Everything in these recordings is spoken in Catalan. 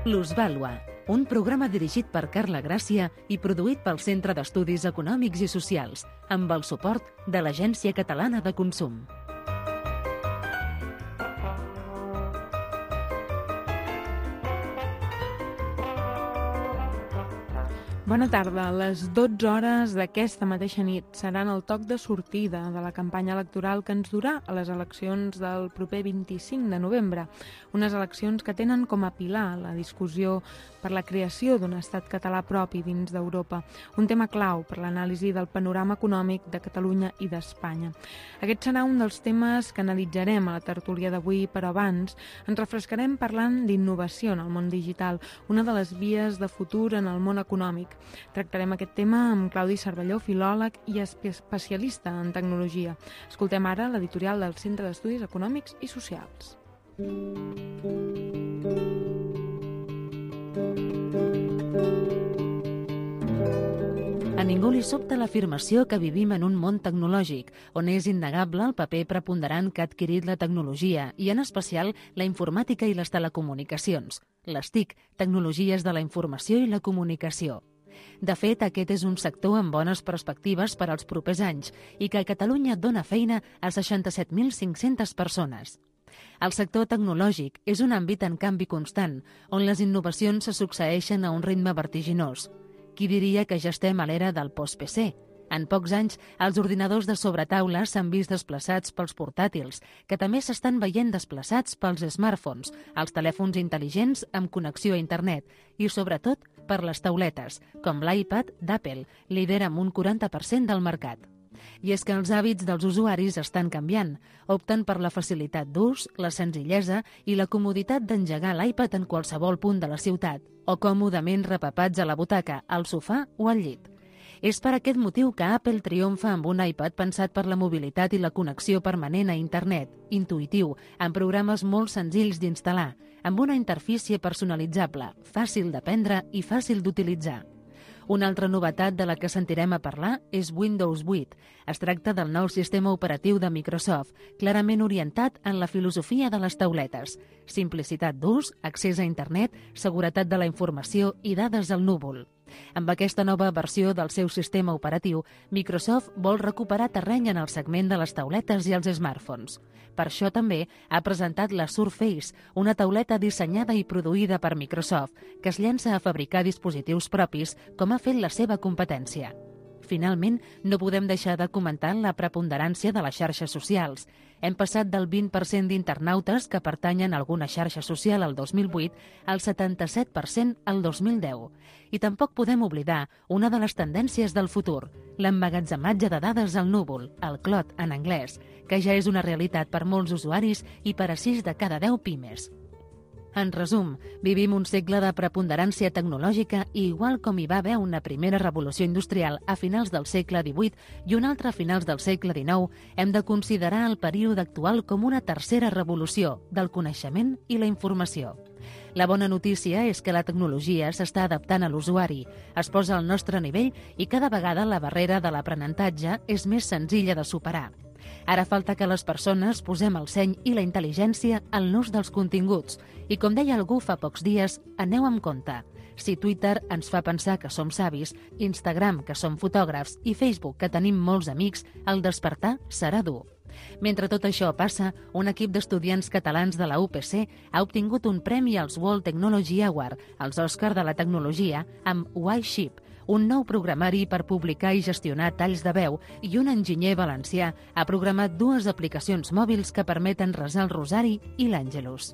Plusvàlua, un programa dirigit per Carla Gràcia i produït pel Centre d'Estudis Econòmics i Socials, amb el suport de l'Agència Catalana de Consum. Bona tarda. Les 12 hores d'aquesta mateixa nit seran el toc de sortida de la campanya electoral que ens durà a les eleccions del proper 25 de novembre. Unes eleccions que tenen com a pilar la discussió per la creació d'un estat català propi dins d'Europa, un tema clau per l'anàlisi del panorama econòmic de Catalunya i d'Espanya. Aquest serà un dels temes que analitzarem a la tertúlia d'avui, però abans ens refrescarem parlant d'innovació en el món digital, una de les vies de futur en el món econòmic. Tractarem aquest tema amb Claudi Cervelló, filòleg i especialista en tecnologia. Escoltem ara l'editorial del Centre d'Estudis Econòmics i Socials. A ningú li sobta l'afirmació que vivim en un món tecnològic, on és innegable el paper preponderant que ha adquirit la tecnologia i, en especial, la informàtica i les telecomunicacions. Les TIC, tecnologies de la informació i la comunicació. De fet, aquest és un sector amb bones perspectives per als propers anys i que a Catalunya dona feina a 67.500 persones. El sector tecnològic és un àmbit en canvi constant, on les innovacions se succeeixen a un ritme vertiginós. Qui diria que ja estem a l'era del post-PC? En pocs anys, els ordinadors de sobretaula s'han vist desplaçats pels portàtils, que també s'estan veient desplaçats pels smartphones, els telèfons intel·ligents amb connexió a internet i, sobretot, per les tauletes, com l'iPad d'Apple, líder amb un 40% del mercat. I és que els hàbits dels usuaris estan canviant. Opten per la facilitat d'ús, la senzillesa i la comoditat d'engegar l'iPad en qualsevol punt de la ciutat, o còmodament repapats a la butaca, al sofà o al llit. És per aquest motiu que Apple triomfa amb un iPad pensat per la mobilitat i la connexió permanent a internet, intuïtiu, amb programes molt senzills d'instal·lar, amb una interfície personalitzable, fàcil d'aprendre i fàcil d'utilitzar. Una altra novetat de la que sentirem a parlar és Windows 8. Es tracta del nou sistema operatiu de Microsoft, clarament orientat en la filosofia de les tauletes. Simplicitat d'ús, accés a internet, seguretat de la informació i dades al núvol. Amb aquesta nova versió del seu sistema operatiu, Microsoft vol recuperar terreny en el segment de les tauletes i els smartphones. Per això també ha presentat la Surface, una tauleta dissenyada i produïda per Microsoft, que es llença a fabricar dispositius propis, com ha fet la seva competència. Finalment, no podem deixar de comentar la preponderància de les xarxes socials. Hem passat del 20% d'internautes que pertanyen a alguna xarxa social al 2008 al 77% al 2010. I tampoc podem oblidar una de les tendències del futur, l'emmagatzematge de dades al núvol, el cloud en anglès, que ja és una realitat per molts usuaris i per a 6 de cada 10 pimes. En resum, vivim un segle de preponderància tecnològica i igual com hi va haver una primera revolució industrial a finals del segle XVIII i una altra a finals del segle XIX, hem de considerar el període actual com una tercera revolució del coneixement i la informació. La bona notícia és que la tecnologia s'està adaptant a l'usuari, es posa al nostre nivell i cada vegada la barrera de l'aprenentatge és més senzilla de superar. Ara falta que les persones posem el seny i la intel·ligència en l'ús dels continguts. I com deia algú fa pocs dies, aneu amb compte. Si Twitter ens fa pensar que som savis, Instagram que som fotògrafs i Facebook que tenim molts amics, el despertar serà dur. Mentre tot això passa, un equip d'estudiants catalans de la UPC ha obtingut un premi als World Technology Award, els Òscar de la tecnologia, amb Y-Ship, un nou programari per publicar i gestionar talls de veu, i un enginyer valencià ha programat 2 aplicacions mòbils que permeten resar el rosari i l'Àngelus.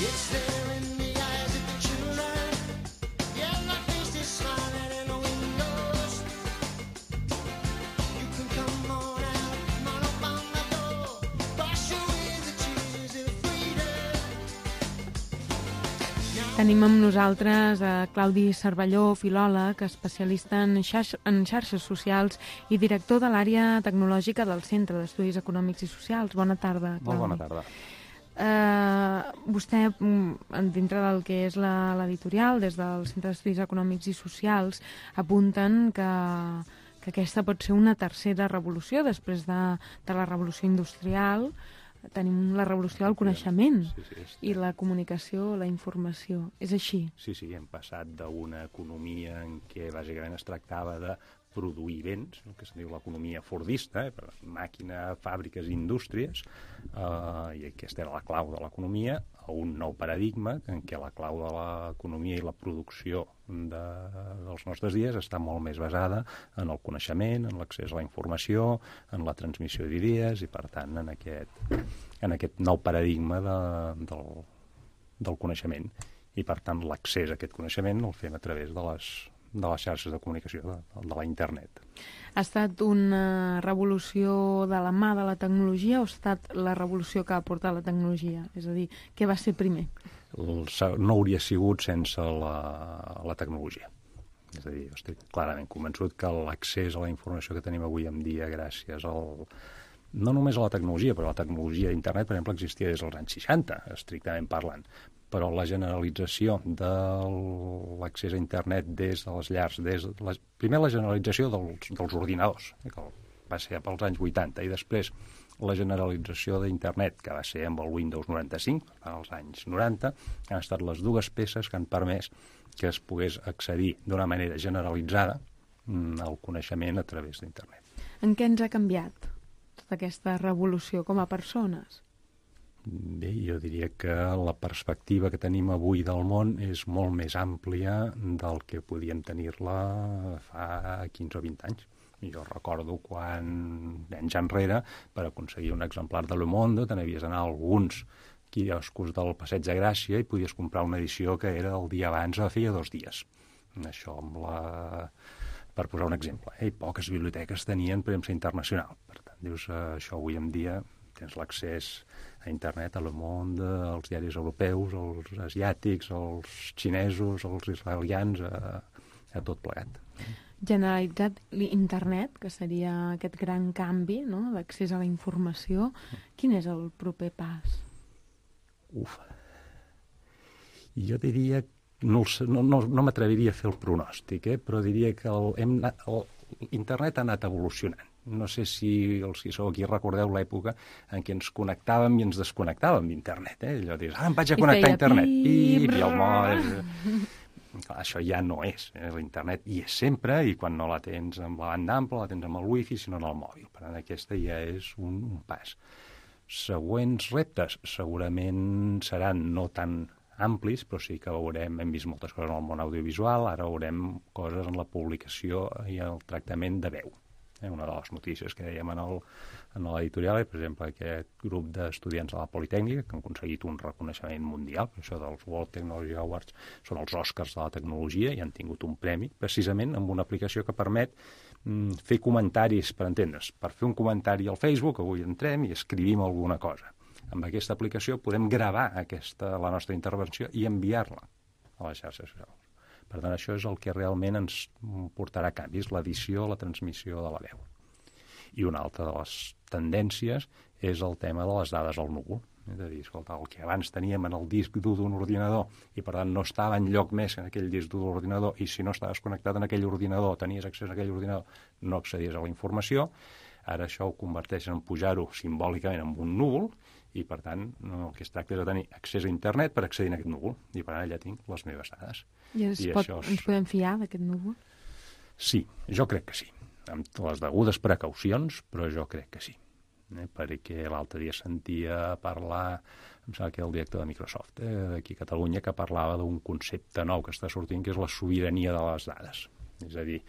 It's there in the eyes of the children. Yeah, my face is smiling in the windows. You can come on out, come on up on my door. Wash away the tears of freedom. Now Tenim amb nosaltres Claudi Cervelló, filòleg, especialista en xarxes socials i director de l'àrea tecnològica del Centre d'Estudis Econòmics i Socials. Bona tarda, Claudi. Molt bona tarda. Vostè, dintre del que és l'editorial, des del Centre d'Estudis Econòmics i Socials, apunten que aquesta pot ser una tercera revolució després de la revolució industrial. Tenim la revolució del coneixement i la comunicació, la informació. És així? Sí, hem passat d'una economia en què bàsicament es tractava de produir béns, el que se'n diu l'economia fordista, màquina, fàbriques, indústries, i aquesta era la clau de l'economia, a un nou paradigma en què la clau de l'economia i la producció dels nostres dies està molt més basada en el coneixement, en l'accés a la informació, en la transmissió d'idees i, per tant, en aquest nou paradigma del coneixement. I, per tant, l'accés a aquest coneixement el fem a través de les xarxes de comunicació, de la internet. Ha estat una revolució de la mà de la tecnologia o ha estat la revolució que ha portat la tecnologia? És a dir, què va ser primer? No hauria sigut sense la tecnologia. És a dir, estic clarament convençut que l'accés a la informació que tenim avui en dia gràcies no només a la tecnologia, però la tecnologia d'internet, per exemple, existia des dels anys 60, estrictament parlant, però la generalització de l'accés a internet des de les llars, primer la generalització dels ordinadors, que va ser pels anys 80, i després la generalització d'internet, que va ser amb el Windows 95, als anys 90, han estat les dues peces que han permès que es pogués accedir d'una manera generalitzada al coneixement a través d'internet. En què ens ha canviat tota aquesta revolució com a persones? Bé, jo diria que la perspectiva que tenim avui del món és molt més àmplia del que podíem tenir-la fa 15 o 20 anys. Jo recordo quan, anys enrere, per aconseguir un exemplar de Le Monde, te n'havies d'anar a alguns quioscos del Passeig de Gràcia i podies comprar una edició que era el dia abans, feia 2 dies. Això per posar un exemple. I poques biblioteques tenien premsa internacional. Per tant, dius, això avui en dia tens l'accés a internet, a Le Monde, als diaris europeus, als asiàtics, als xinesos, als israelians, a tot plegat. Generalitzat l'internet, que seria aquest gran canvi, no?, d'accés a la informació. Quin és el proper pas? Jo diria, no m'atreviria a fer el pronòstic, però diria que l'internet ha anat evolucionant. No sé si els que sou aquí recordeu l'època en què ens connectàvem i ens desconnectàvem d'internet. Allò dius, em vaig a connectar a internet. I el mòbil... Això ja no és. L'internet hi és sempre i quan no la tens amb la banda ampla, la tens amb el wifi, sinó en el mòbil. Per tant, aquesta ja és un pas. Següents reptes segurament seran no tan amplis, però sí que hem vist moltes coses en el món audiovisual, ara veurem coses en la publicació i el tractament de veu. Una de les notícies que dèiem en l'editorial és, per exemple, aquest grup d'estudiants de la Politècnica que han aconseguit un reconeixement mundial, per això dels World Technology Awards són els Oscars de la tecnologia i han tingut un premi, precisament amb una aplicació que permet fer comentaris, per entendre's. Per fer un comentari al Facebook, avui entrem i escrivim alguna cosa. Amb aquesta aplicació podem gravar la nostra intervenció i enviar-la a les xarxes socials. Per tant, això és el que realment ens portarà canvis, l'edició, la transmissió de la veu. I una altra de les tendències és el tema de les dades al núvol. És a dir, escolta, el que abans teníem en el disc dur d'un ordinador i, per tant, no estava enlloc més en aquell disc dur de l'ordinador i si no estaves connectat en aquell ordinador, tenies accés a aquell ordinador, no accedies a la informació. Ara això ho converteix en pujar-ho simbòlicament en un núvol i, per tant, el que es tracta és de tenir accés a internet per accedir a aquest núvol. I, per tant, allà tinc les meves dades. I ens podem fiar d'aquest núvol? Sí, jo crec que sí. Amb les degudes precaucions, però jo crec que sí. Perquè l'altre dia sentia parlar, em sembla que el director de Microsoft, d'aquí a Catalunya, que parlava d'un concepte nou que està sortint, que és la sobirania de les dades. És a dir,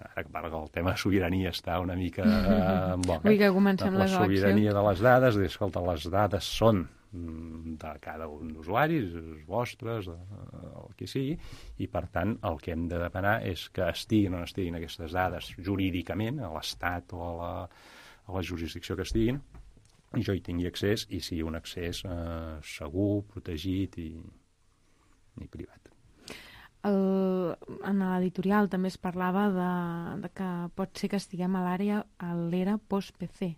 ara que el tema de sobirania està una mica en boca. Vull que comencem les eleccions. La sobirania de les dades, escolta, les dades són de cada un d'usuaris, vostres, el que sigui, i per tant el que hem de demanar és que estiguin o no estiguin aquestes dades jurídicament, a l'Estat o a la jurisdicció que estiguin, i jo hi tingui accés i sigui un accés segur, protegit i ni privat. En l'editorial també es parlava de que pot ser que estiguem a l'era post-PC.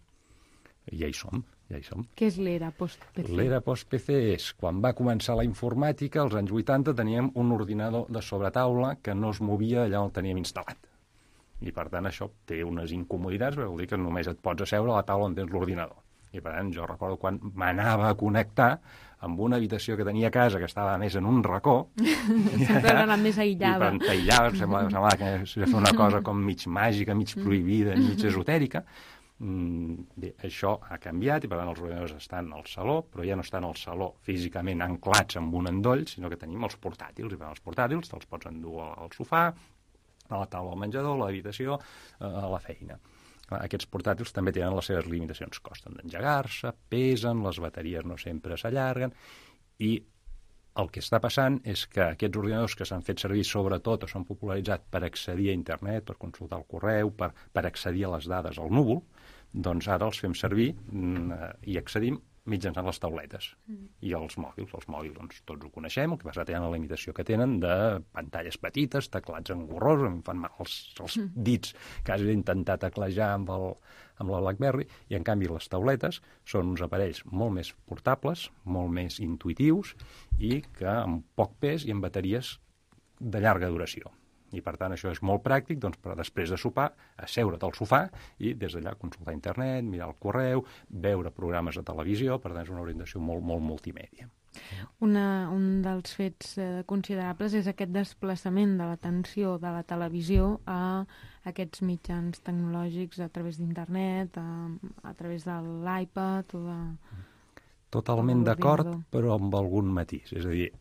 Ja hi som. Què és l'era post-PC? L'era post-PC és quan va començar la informàtica, als anys 80 teníem un ordinador de sobretaula que no es movia allà on el teníem instal·lat. I per tant això té unes incomoditats, perquè vol dir que només et pots asseure a la taula on tens l'ordinador. I per tant jo recordo quan m'anava a connectar amb una habitació que tenia a casa que estava més en un racó. Sempre era la més aïllada. I per aïllar semblava que s'ha de fer una cosa com mig màgica, mig prohibida, mig esotèrica. Bé, això ha canviat i per tant els ordinadors estan al saló, però ja no estan al saló físicament anclats amb un endoll, sinó que tenim els portàtils, i per tant els portàtils te'ls pots endur al sofà, a la taula del menjador, a l'habitació, a la feina. Aquests portàtils també tenen les seves limitacions, costen d'engegar-se, pesen, les bateries no sempre s'allarguen, i el que està passant és que aquests ordinadors que s'han fet servir sobretot o s'han popularitzat per accedir a internet, per consultar el correu, per accedir a les dades al núvol, doncs ara els fem servir i accedim mitjançant les tauletes i els mòbils. Els mòbils doncs, tots ho coneixem, el que passa tenen la limitació que tenen de pantalles petites, teclats engorrosos, em fan mal els dits, quasi d'intentar teclejar amb la BlackBerry, i en canvi les tauletes són uns aparells molt més portables, molt més intuïtius i que amb poc pes i amb bateries de llarga duració. I per tant això és molt pràctic doncs, per després de sopar, asseure't al sofà i des d'allà consultar internet, mirar el correu, veure programes de televisió, per tant és una orientació molt multimèdia. Un dels fets considerables és aquest desplaçament de l'atenció de la televisió a aquests mitjans tecnològics a través d'internet, a través de l'iPad o de... Totalment d'acord, però amb algun matís. És a dir,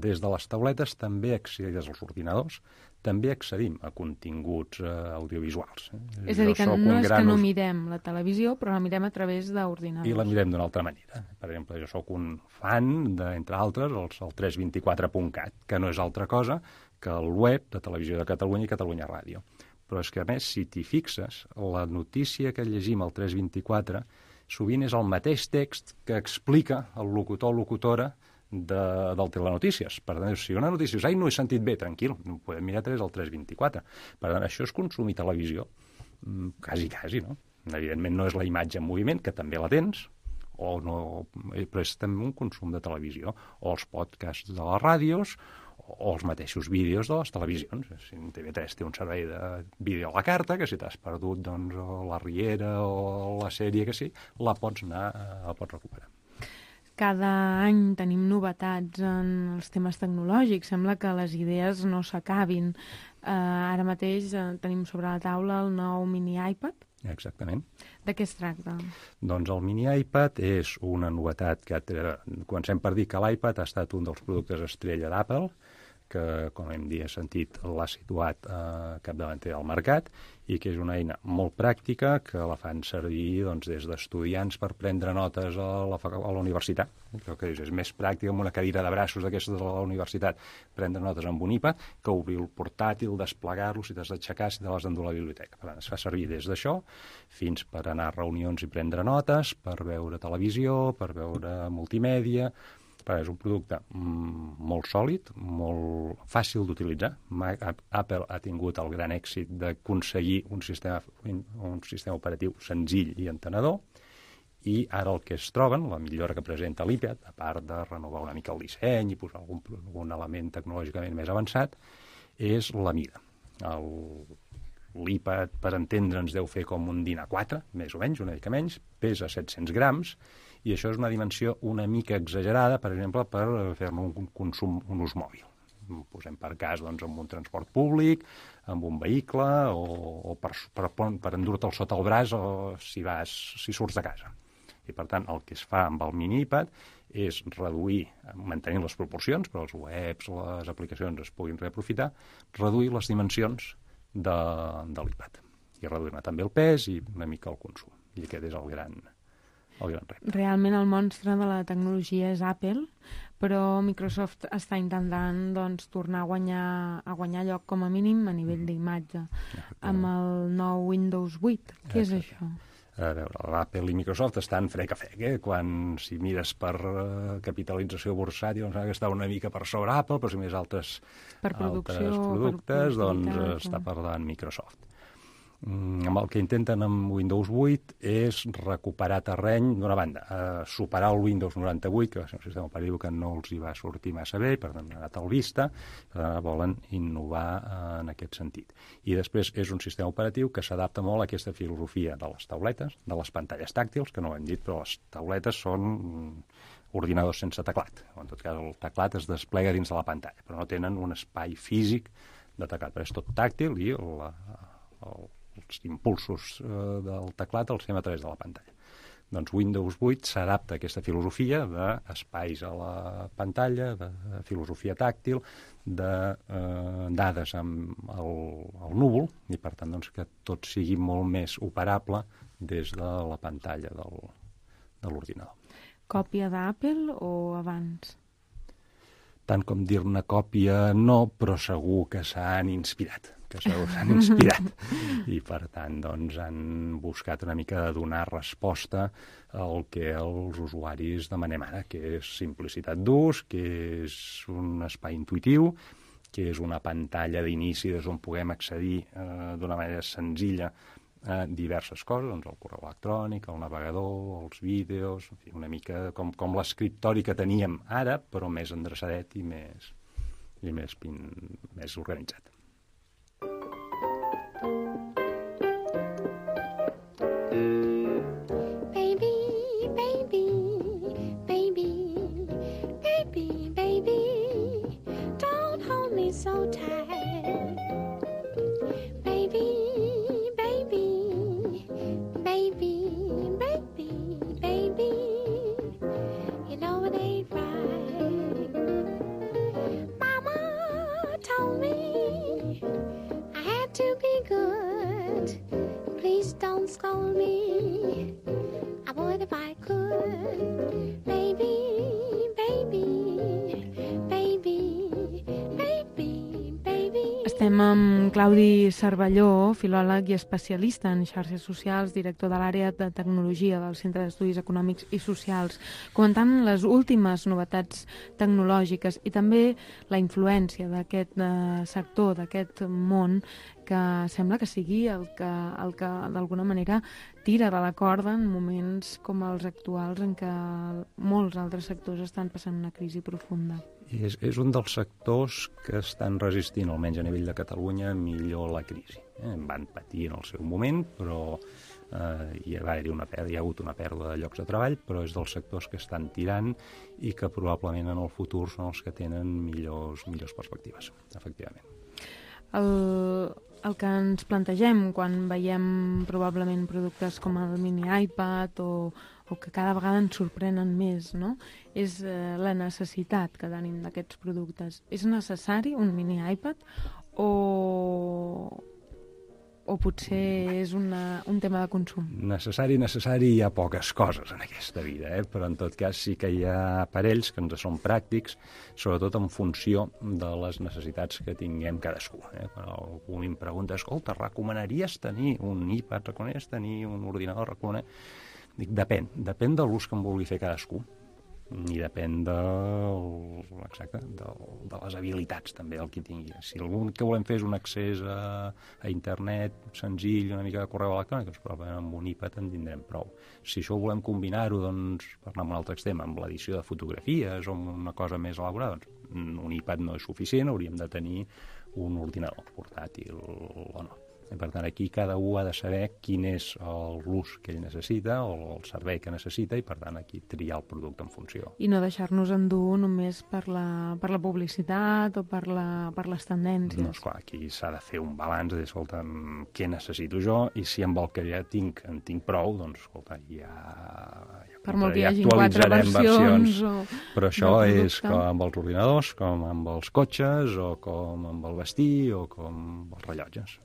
des de les tauletes també accedim, des dels ordinadors, també accedim a continguts audiovisuals. És a dir, que no és que no mirem la televisió, però la mirem a través d'ordinadors. I la mirem d'una altra manera. Per exemple, jo sóc un fan, entre altres, el 324.cat, que no és altra cosa que el web de Televisió de Catalunya i Catalunya Ràdio. Però és que, a més, si t'hi fixes, la notícia que llegim al 324 sovint és el mateix text que explica el locutor o locutora del telenotícies. Per tant, si una notícia dius, no he sentit bé, tranquil, no podem mirar a través del 324. Per tant, això és consumir televisió, quasi, no? Evidentment no és la imatge en moviment, que també la tens, però és també un consum de televisió, o els podcasts de les ràdios, o els mateixos vídeos de les televisions. Si TV3 té un servei de vídeo a la carta, que si t'has perdut doncs, la Riera o la sèrie que sí, la pots recuperar. Cada any tenim novetats en els temes tecnològics. Sembla que les idees no s'acabin. Ara mateix tenim sobre la taula el nou mini iPad. Exactament. De què es tracta? Doncs el mini iPad és una novetat que comencem per dir que l'iPad ha estat un dels productes estrella d'Apple, que, com hem sentit, l'ha situat capdavanter del mercat i que és una eina molt pràctica que la fan servir doncs, des d'estudiants per prendre notes a la universitat. Crec que és més pràctic amb una cadira de braços d'aquestes de la universitat prendre notes amb un iPad que obrir el portàtil, desplegar-lo, si t'has d'aixecar, si te l'has d'endur a la biblioteca. Per tant, es fa servir des d'això fins per anar a reunions i prendre notes, per veure televisió, per veure multimèdia. És un producte molt sòlid, molt fàcil d'utilitzar. Apple ha tingut el gran èxit d'aconseguir un sistema operatiu senzill i entenedor, i ara el que es troben, la millora que presenta l'iPad, a part de renovar una mica el disseny i posar algun element tecnològicament més avançat, és la mida. L'iPad, per entendre'ns, deu fer com un DIN A4, més o menys, una mica menys, pesa 700 grams, i això és una dimensió una mica exagerada, per exemple, per fer-ne un ús mòbil. Posem per cas doncs, amb un transport públic, amb un vehicle, o per endur-te'l sota el braç si surts de casa. I, per tant, el que es fa amb el mini iPad és reduir, mantenint les proporcions, però els webs, les aplicacions es puguin reaprofitar, reduir les dimensions de l'iPad. I reduir-ne també el pes i una mica el consum. I aquest és el gran repte. Realment el monstre de la tecnologia és Apple, però Microsoft està intentant doncs, tornar a guanyar lloc com a mínim a nivell d'imatge amb el nou Windows 8. Què és això? A veure, l'Apple i Microsoft estan frec a frec, si mires per capitalització bursàtil, doncs que està una mica per sobre Apple, però si més altres productes, doncs està per davant Microsoft. Amb el que intenten amb Windows 8 és recuperar terreny, d'una banda, superar el Windows 98, que va ser un sistema operatiu que no els hi va sortir massa bé, per tant, ha anat al vista, per tant, volen innovar en aquest sentit. I després és un sistema operatiu que s'adapta molt a aquesta filosofia de les tauletes, de les pantalles tàctils, que no ho hem dit, però les tauletes són ordinadors sense teclat. En tot cas, el teclat es desplega dins de la pantalla, però no tenen un espai físic de teclat, però és tot tàctil i els impulsos del teclat els fem a través de la pantalla. Doncs Windows 8 s'adapta a aquesta filosofia d'espais a la pantalla, de filosofia tàctil, de dades amb el núvol, i per tant doncs, que tot sigui molt més operable des de la pantalla de l'ordinador. Còpia d'Apple o abans? Tant com dir-ne còpia no, però segur que s'han inspirat. I per tant doncs, han buscat una mica de donar resposta al que els usuaris demanem ara, que és simplicitat d'ús, que és un espai intuïtiu, que és una pantalla d'inici des d'on puguem accedir d'una manera senzilla a diverses coses, doncs el correu electrònic, el navegador, els vídeos, en fi, una mica com l'escriptori que teníem ara, però més endreçadet i més organitzat. So tight, baby, baby, baby, baby, baby, you know it ain't right. Mama told me I had to be good. Please don't scold me. I would if I could, baby, baby, baby. Estem amb Claudi Cervelló, filòleg i especialista en xarxes socials, director de l'àrea de tecnologia del Centre d'Estudis Econòmics i Socials, comentant les últimes novetats tecnològiques i també la influència d'aquest sector, d'aquest món, que sembla que sigui el que d'alguna manera tira de la corda en moments com els actuals en què molts altres sectors estan passant una crisi profunda. És un dels sectors que estan resistint, almenys a nivell de Catalunya, millor la crisi. Van patir en el seu moment, però hi ha hagut una pèrdua de llocs de treball, però és dels sectors que estan tirant i que probablement en el futur són els que tenen millors perspectives, efectivament. El que ens plantegem quan veiem probablement productes com el mini iPad o que cada vegada ens sorprenen més, no? És la necessitat que tenim d'aquests productes. És necessari un mini iPad o potser és un tema de consum? Necessari hi ha poques coses en aquesta vida, però en tot cas sí que hi ha aparells que ens són pràctics, sobretot en funció de les necessitats que tinguem cadascú. Quan algú em pregunta, escolta, recomanaries tenir un iPad, recomanaries tenir un ordinador, Dic, depèn de l'ús que en vulgui fer cadascú i depèn de les habilitats també del qui tingui. Si algun que volem fer és un accés a internet senzill, una mica de correu electrònic, doncs probablement amb un iPad en tindrem prou. Si això volem combinar-ho, doncs, per anar a un altre extrem, amb l'edició de fotografies o amb una cosa més elaborada, doncs un iPad no és suficient, hauríem de tenir un ordinador portàtil o no. I per tant, aquí cada un ha de saber quin és l'ús que ell necessita o el servei que necessita i, per tant, aquí triar el producte en funció. I no deixar-nos endur només per la publicitat o per les tendències. No, esclar, aquí s'ha de fer un balanç de dir, escolta, què necessito jo i si amb el que ja tinc en tinc prou, doncs, escolta, ja per molt que hi hagi 4 versions però això és com amb els ordinadors, com amb els cotxes o com amb el vestir o com els rellotges.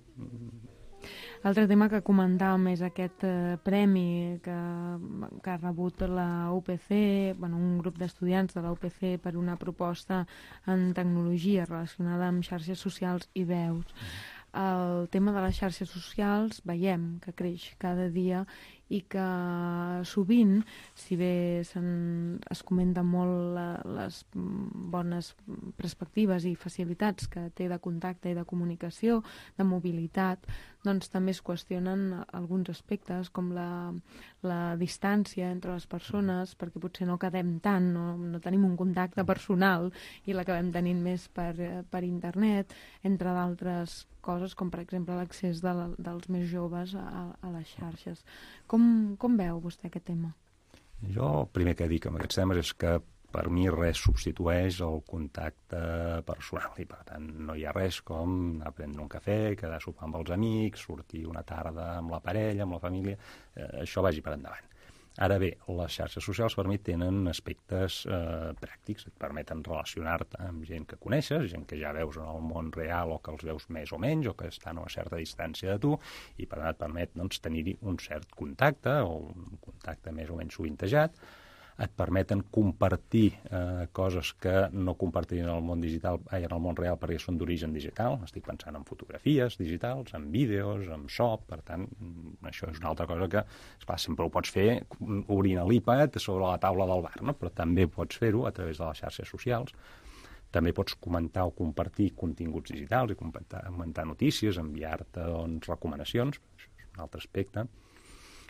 L'altre tema que comentàvem és aquest premi que ha rebut la UPC, un grup d'estudiants de la UPC per una proposta en tecnologia relacionada amb xarxes socials i veus. El tema de les xarxes socials veiem que creix cada dia i que sovint, si bé es comenta molt les bones perspectives i facilitats que té de contacte i de comunicació, de mobilitat, doncs també es qüestionen alguns aspectes com la distància entre les persones, perquè potser no quedem tant, no tenim un contacte personal i l'acabem tenint més per internet, entre d'altres coses, com per exemple l'accés dels més joves a les xarxes. Com veu vostè aquest tema? Jo el primer que dic amb aquests temes és que per mi res substitueix el contacte personal i per tant no hi ha res com anar a prendre un cafè, quedar a sopar amb els amics, sortir una tarda amb la parella, amb la família, això vagi per endavant. Ara bé, les xarxes socials per mi tenen aspectes pràctics, et permeten relacionar-te amb gent que coneixes, gent que ja veus en el món real o que els veus més o menys o que estan a una certa distància de tu i per tant et permet tenir-hi un cert contacte o un contacte més o menys sovintejat. Et permeten compartir coses que no compartirien en el món digital, en el món real perquè són d'origen digital. Estic pensant en fotografies digitals, en vídeos, en so, per tant, això és una altra cosa que, esclar, sempre ho pots fer obrint l'iPad sobre la taula del bar, no? Però també pots fer-ho a través de les xarxes socials. També pots comentar o compartir continguts digitals i comentar notícies, enviar-te recomanacions, això és un altre aspecte.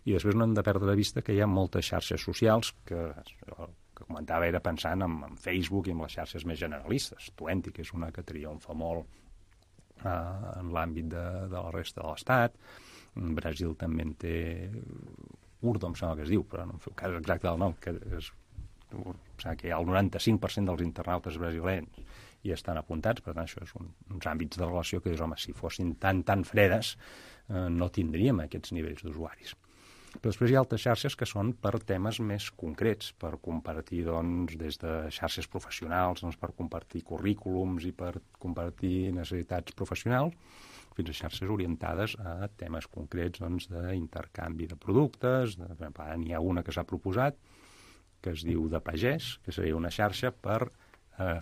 I després no hem de perdre de vista que hi ha moltes xarxes socials que comentava era pensant en Facebook i en les xarxes més generalistes. Twenty, que és una que triomfa molt en l'àmbit de la resta de l'Estat. Brasil també en té Urdo, em sembla que es diu, però no em feu cas exacte del nom, que és, que hi ha el 95% dels internautes brasilenys i estan apuntats, per tant això és uns àmbits de relació que dius, home, si fossin tan fredes no tindríem aquests nivells d'usuaris. Però després hi ha altres xarxes que són per temes més concrets, per compartir des de xarxes professionals, per compartir currículums i per compartir necessitats professionals, fins a xarxes orientades a temes concrets d'intercanvi de productes. Per exemple, n'hi ha una que s'ha proposat que es diu de pagès, que seria una xarxa per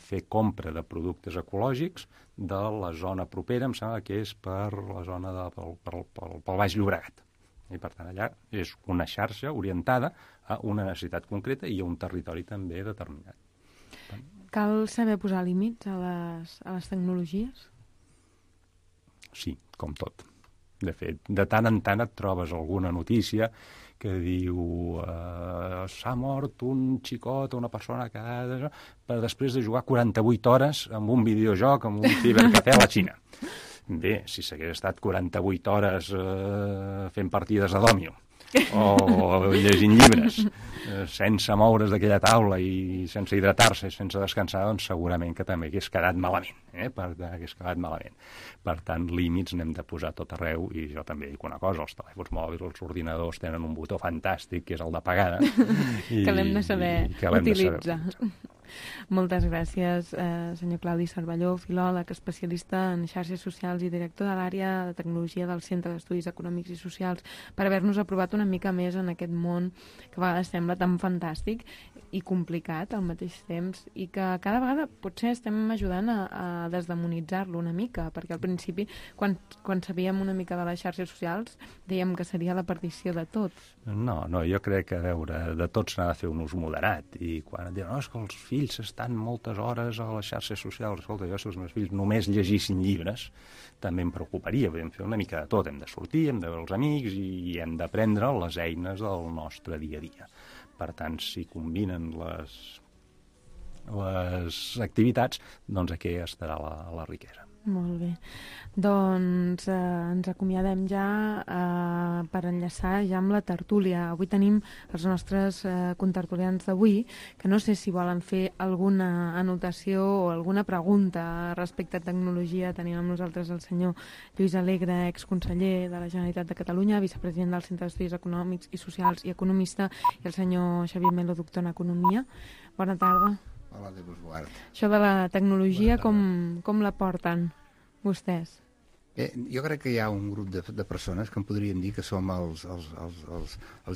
fer compra de productes ecològics de la zona propera, em sembla que és per la zona pel Baix Llobregat. I per tant allà és una xarxa orientada a una necessitat concreta i a un territori també determinat. Cal saber posar límits a les tecnologies? Sí, com tot. De fet, de tant en tant et trobes alguna notícia que diu s'ha mort un xicot o una persona que per després de jugar 48 hores amb un videojoc, amb un cibercafè a la Xina. Bé, si s'hagués estat 48 hores fent partides a dòmino o llegint llibres sense moure's d'aquella taula i sense hidratar-se, sense descansar, doncs segurament que també hagués quedat malament. Per tant, límits n'hem de posar tot arreu i jo també dic una cosa, els telèfons mòbils, els ordinadors tenen un botó fantàstic que és el d'apagada. Que l'hem de saber utilitzar. Moltes gràcies, senyor Claudi Cervelló, filòleg, especialista en xarxes socials i director de l'àrea de tecnologia del Centre d'Estudis Econòmics i Socials, per haver-nos aprovat una mica més en aquest món que a vegades sembla tan fantàstic i complicat al mateix temps i que cada vegada potser estem ajudant a desdemonitzar-lo una mica, perquè al principi, quan sabíem una mica de les xarxes socials, dèiem que seria la perdició de tots. No, jo crec que, a veure, de tot s'ha de fer un ús moderat i quan et diuen, no, és que els fills estan moltes hores a les xarxes socials, escolta, jo si els meus fills només llegissin llibres també em preocuparia, podem fer una mica de tot, hem de sortir, hem de veure els amics i hem d'aprendre les eines del nostre dia a dia. Per tant, si combinen les activitats, doncs aquí estarà la riquesa. Molt bé. Doncs ens acomiadem ja per enllaçar ja amb la tertúlia. Avui tenim els nostres contertulians d'avui, que no sé si volen fer alguna anotació o alguna pregunta respecte a tecnologia. Tenim amb nosaltres el senyor Lluís Alegre, exconseller de la Generalitat de Catalunya, vicepresident del Centre d'Estudis Econòmics i Socials i economista, i el senyor Xavier Melo, doctor en Economia. Bona tarda. Hola, Déu vos guard. Això de la tecnologia, com la porten vostès? Bé, jo crec que hi ha un grup de persones que en podríem dir que som els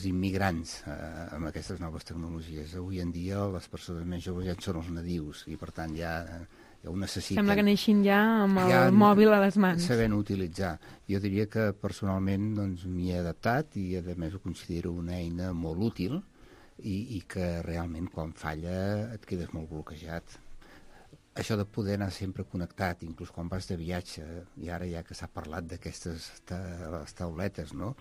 immigrants amb aquestes noves tecnologies. Avui en dia les persones més joves ja són els nadius i per tant ja ho necessiten. Sembla que neixin ja amb el Ja mòbil a les mans. Sabent utilitzar. Jo diria que personalment doncs, m'hi he adaptat i a més ho considero una eina molt útil i que realment quan falla et quedes molt bloquejat. Això de poder anar sempre connectat, inclús quan vas de viatge, i ara ja que s'ha parlat d'aquestes tauletes, no?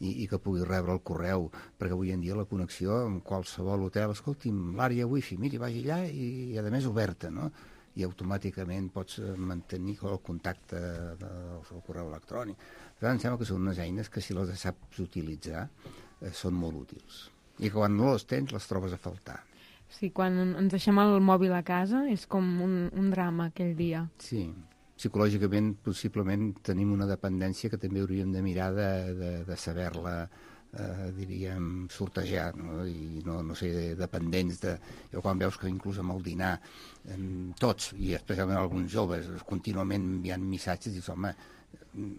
I que puguis rebre el correu, perquè avui en dia la connexió amb qualsevol hotel, escolti'm, l'àrea wifi, miri, vagi allà i a més oberta, no? I automàticament pots mantenir el contacte del correu electrònic. Per tant, em sembla que són unes eines que si les saps utilitzar són molt útils. I que quan no les tens les trobes a faltar. Sí, quan ens deixem el mòbil a casa és com un drama aquell dia. Sí, psicològicament possiblement tenim una dependència que també hauríem de mirar de saber-la, diríem, sortejar, no? I no ser dependents de... Jo quan veus que inclús amb el dinar tots, i especialment alguns joves, contínuament enviant missatges, dius, home,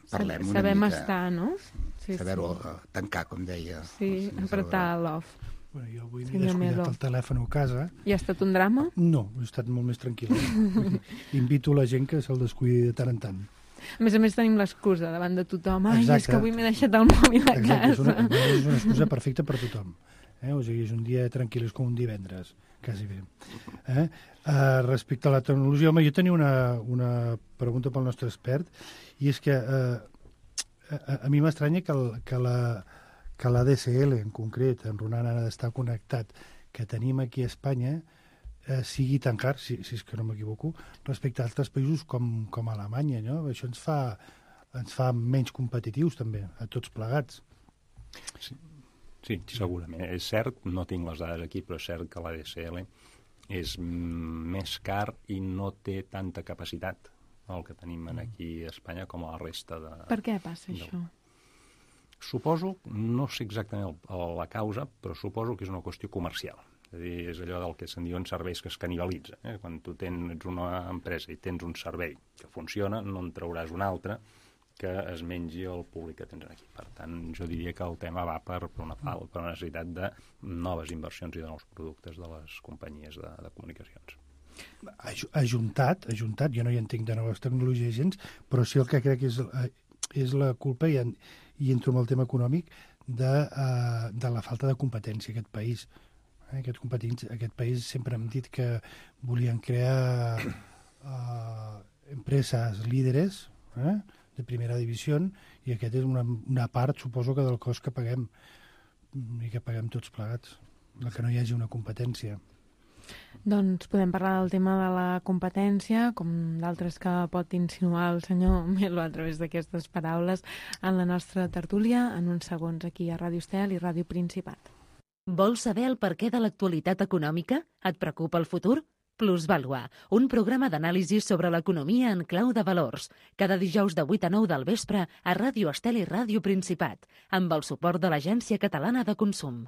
parlem una mica. Sabem estar, no? Sí, saber-ho tancar, com deia. Sí, apretar l'off. Bueno, jo avui m'he descuidat el telèfon a casa. I ha estat un drama? No, he estat molt més tranquil. Invito la gent que se'l descuidi de tant en tant. A més tenim l'excusa davant de tothom. Ai, Exacte. És que avui m'he deixat el mòbil a casa. És una excusa perfecta per tothom. O sigui, és un dia tranquil, és com un divendres, quasi bé. Respecte a la tecnologia, home, jo tenia una pregunta pel nostre expert, i és que a mi m'estranya que la DSL, en concret, en Ronan ha d'estar connectat, que tenim aquí a Espanya, sigui tan car, si és que no m'equivoco, respecte a altres països com Alemanya, no? Això ens fa menys competitius, també, a tots plegats. Sí, segurament. És cert, no tinc les dades aquí, però és cert que la DSL és més car i no té tanta capacitat el que tenim aquí a Espanya com a la resta de... Per què passa això? Suposo, no sé exactament la causa, però suposo que és una qüestió comercial. És a dir, és allò del que se'n diuen serveis que es canibalitza. Quan tu ets una empresa i tens un servei que funciona, no en trauràs un altre que es mengi el públic que tens aquí. Per tant, jo diria que el tema va per una necessitat de noves inversions i de nous productes de les companyies de comunicacions. Ajuntat, jo no hi entenc de noves tecnologies gens, però sí el que crec és la culpa, i entro en el tema econòmic, de la falta de competència a aquest país. Aquest país sempre hem dit que volien crear empreses líderes de primera divisió, i aquest és una part, suposo, que del cost que paguem, i que paguem tots plegats, el que no hi hagi una competència. Doncs podem parlar del tema de la competència, com d'altres que pot insinuar el senyor Melo a través d'aquestes paraules, en la nostra tertúlia, en uns segons aquí a Ràdio Estel i Ràdio Principat. Vols saber el perquè de l'actualitat econòmica? Et preocupa el futur? Plusvàlua, un programa d'anàlisi sobre l'economia en clau de valors. Cada dijous de 8 a 9 del vespre a Ràdio Estel i Ràdio Principat, amb el suport de l'Agència Catalana de Consum.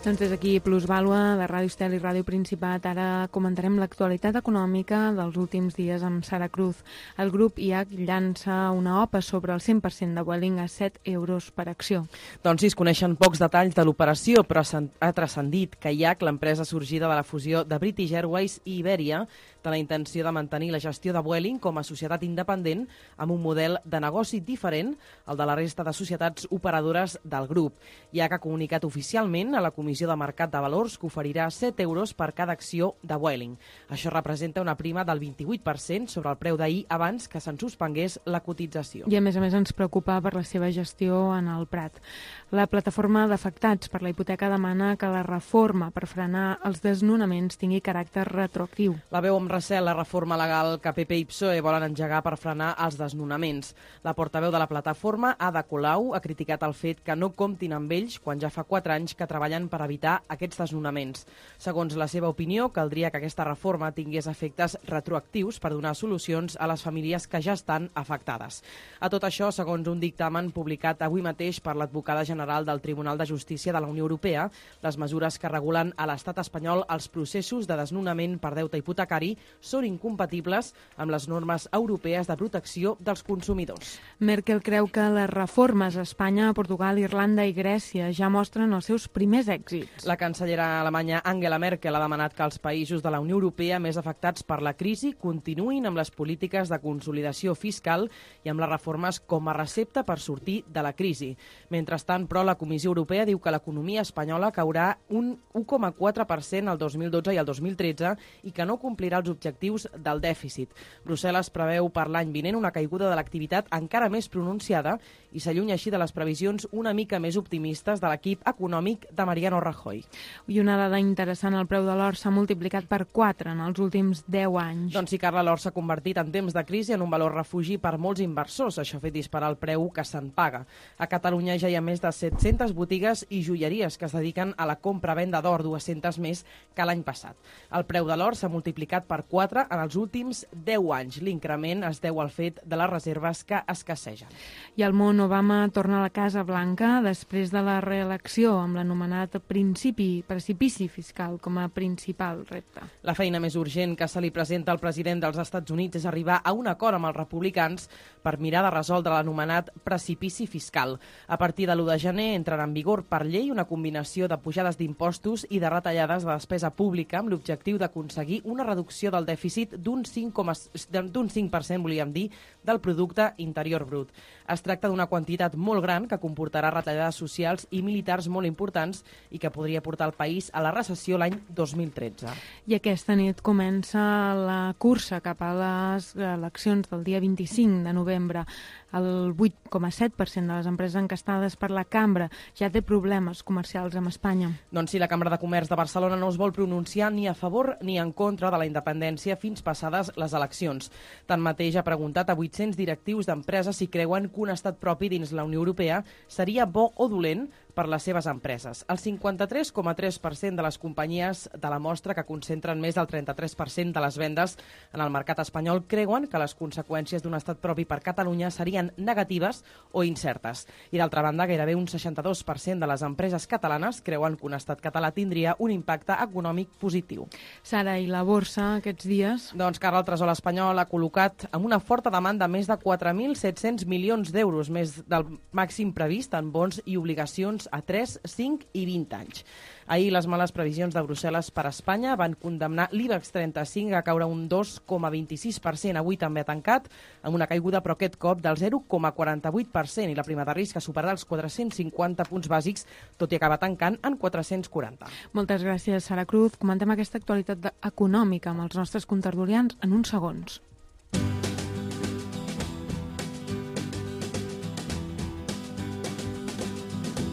Doncs des d'aquí Plusvàlua, de Ràdio Estel i Ràdio Principat, ara comentarem l'actualitat econòmica dels últims dies amb Sara Cruz. El grup IAC llança una OPA sobre el 100% de Vueling a 7 euros per acció. Doncs sí, es coneixen pocs detalls de l'operació, però ha transcendit que IAC, l'empresa sorgida de la fusió de British Airways i Iberia, té la intenció de mantenir la gestió de Vueling com a societat independent amb un model de negoci diferent al de la resta de societats operadores del grup. IAC ha comunicat oficialment a la Comissió de Mercat de Valors que oferirà 7 euros per cada acció de Vueling. Això representa una prima del 28% sobre el preu d'ahir abans que se'n suspengués la cotització. I a més ens preocupa per la seva gestió en el Prat. La plataforma d'afectats per la hipoteca demana que la reforma per frenar els desnonaments tingui caràcter retroactiu. La veu amb recel la reforma legal que PP i PSOE volen engegar per frenar els desnonaments. La portaveu de la plataforma, Ada Colau, ha criticat el fet que no comptin amb ells quan ja fa 4 anys que treballen per evitar aquests desnonaments. Segons la seva opinió, caldria que aquesta reforma tingués efectes retroactius per donar solucions a les famílies que ja estan afectades. A tot això, segons un dictamen publicat avui mateix per l'advocada general del Tribunal de Justícia de la Unió Europea, les mesures que regulen a l'estat espanyol els processos de desnonament per deute hipotecari són incompatibles amb les normes europees de protecció dels consumidors. Merkel creu que les reformes a Espanya, Portugal, Irlanda i Grècia ja mostren els seus primers èxits èxits. La cancellera alemanya Angela Merkel ha demanat que els països de la Unió Europea més afectats per la crisi continuïn amb les polítiques de consolidació fiscal i amb les reformes com a recepta per sortir de la crisi. Mentrestant, però, la Comissió Europea diu que l'economia espanyola caurà un 1,4% el 2012 i el 2013 i que no complirà els objectius del dèficit. Brussel·les preveu per l'any vinent una caiguda de l'activitat encara més pronunciada i s'allunya així de les previsions una mica més optimistes de l'equip econòmic de Mariano Rajoy. I una dada interessant, el preu de l'or s'ha multiplicat per 4 en els últims 10 anys. Doncs sí, Carla, l'or s'ha convertit en temps de crisi en un valor refugi per molts inversors. Això ha fet disparar el preu que se'n paga. A Catalunya ja hi ha més de 700 botigues i joieries que es dediquen a la compra-venda d'or, 200 més que l'any passat. El preu de l'or s'ha multiplicat per 4 en els últims 10 anys. L'increment es deu al fet de les reserves que escassegen. I el món Obama torna a la Casa Blanca després de la reelecció amb l'anomenat precipici fiscal com a principal repte. La feina més urgent que se li presenta al president dels Estats Units és arribar a un acord amb els republicans per mirar de resoldre l'anomenat precipici fiscal. A partir de l'1 de gener entrarà en vigor per llei una combinació de pujades d'impostos i de retallades de despesa pública amb l'objectiu d'aconseguir una reducció del dèficit d'un 5%, volíem dir, del producte interior brut. Es tracta d'una quantitat molt gran que comportarà retallades socials i militars molt importants i que podria portar el país a la recessió l'any 2013. I aquesta nit comença la cursa cap a les eleccions del dia 25 de novembre. El 8,7% de les empreses encastades per la Cambra ja té problemes comercials amb Espanya. Doncs sí, la Cambra de Comerç de Barcelona no es vol pronunciar ni a favor ni en contra de la independència fins passades les eleccions. Tanmateix ha preguntat a 800 directius d'empreses si creuen que un estat propi dins la Unió Europea seria bo o dolent per les seves empreses. El 53,3% de les companyies de la mostra, que concentren més del 33% de les vendes en el mercat espanyol, creuen que les conseqüències d'un estat propi per Catalunya serien negatives o incertes. I d'altra banda, gairebé un 62% de les empreses catalanes creuen que un estat català tindria un impacte econòmic positiu. Sara, i la borsa aquests dies? Doncs, Carla, el Tresor espanyol ha col·locat amb una forta demanda més de 4.700 milions d'euros, més del màxim previst en bons i obligacions a 3, 5 i 20 anys. Ahir les males previsions de Brussel·les per a Espanya van condemnar l'IBEX 35 a caure un 2,26%. Avui també ha tancat amb una caiguda, però aquest cop del 0,48%, i la prima de risc ha superat els 450 punts bàsics, tot i acabar tancant en 440. Moltes gràcies, Sara Cruz. Comentem aquesta actualitat econòmica amb els nostres contertulians en uns segons.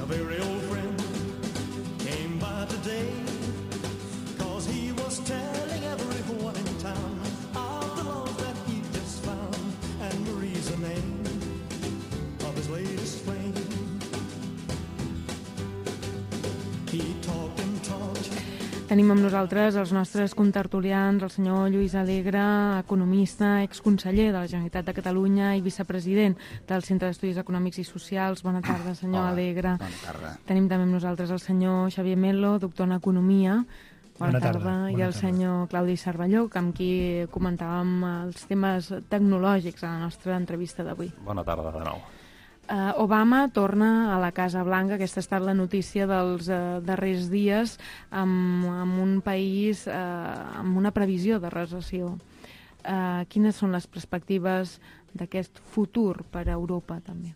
Very old friend came by today, 'cause he was telling everyone in town of the love that he just found, and Marie's the name of his latest flame. He talked and talked. Tenim amb nosaltres els nostres contertulians, el senyor Lluís Alegre, economista, exconseller de la Generalitat de Catalunya i vicepresident del Centre d'Estudis Econòmics i Socials. Bona tarda, senyor Alegre. Bona tarda. Tenim també amb nosaltres el senyor Xavier Melo, doctor en Economia. Bona tarda. I el senyor Claudi Cervelló, amb qui comentàvem els temes tecnològics a la nostra entrevista d'avui. Bona tarda de nou. Obama torna a la Casa Blanca. Aquesta ha estat la notícia dels darrers dies, amb un país amb una previsió de recessió. Quines són les perspectives d'aquest futur per a Europa, també?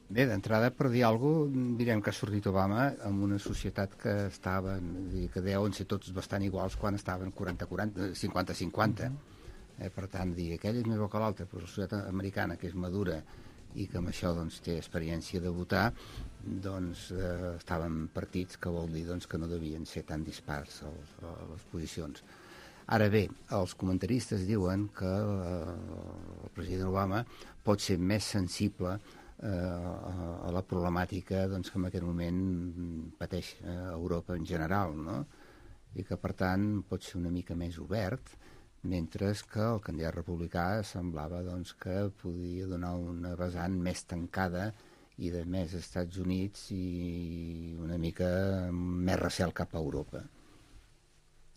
Bé, d'entrada, per dir alguna cosa, direm que ha sortit Obama en una societat que estava, que deuen ser tots bastant iguals quan estaven 40-40, 50-50. Per tant, dir, aquell és més bo que l'altre, però la societat americana, que és madura i que amb això doncs, té experiència de votar, doncs estaven partits, que vol dir doncs, que no devien ser tan dispars les posicions. Ara bé, els comentaristes diuen que el president Obama pot ser més sensible a la problemàtica doncs, que en aquest moment pateix Europa en general, no? I que per tant pot ser una mica més obert, mentre que el candidat republicà semblava doncs, que podia donar una vessant més tancada i de més Estats Units i una mica més recel cap a Europa.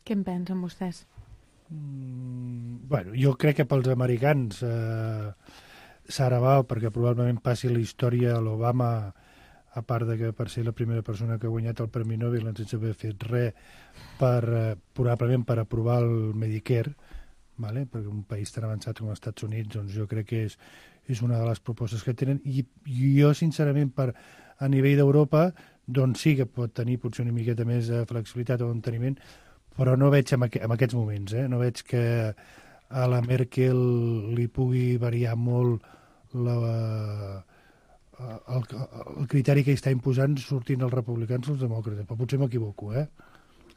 Què en pensen vostès? Bueno, jo crec que pels americans serà val, perquè probablement passi la història l'Obama a part de que per ser la primera persona que ha guanyat el Premi Nobel sense haver fet res probablement per aprovar el Medicare, vale? Perquè un país tan avançat com els Estats Units, doncs jo crec que és una de les propostes que tenen, i jo sincerament a nivell d'Europa doncs sí que pot tenir potser una miqueta més de flexibilitat o enteniment, però no veig en aquests moments, no veig que a la Merkel li pugui variar molt el criteri que està imposant sortint els republicans o els demòcrates, però potser m'equivoco,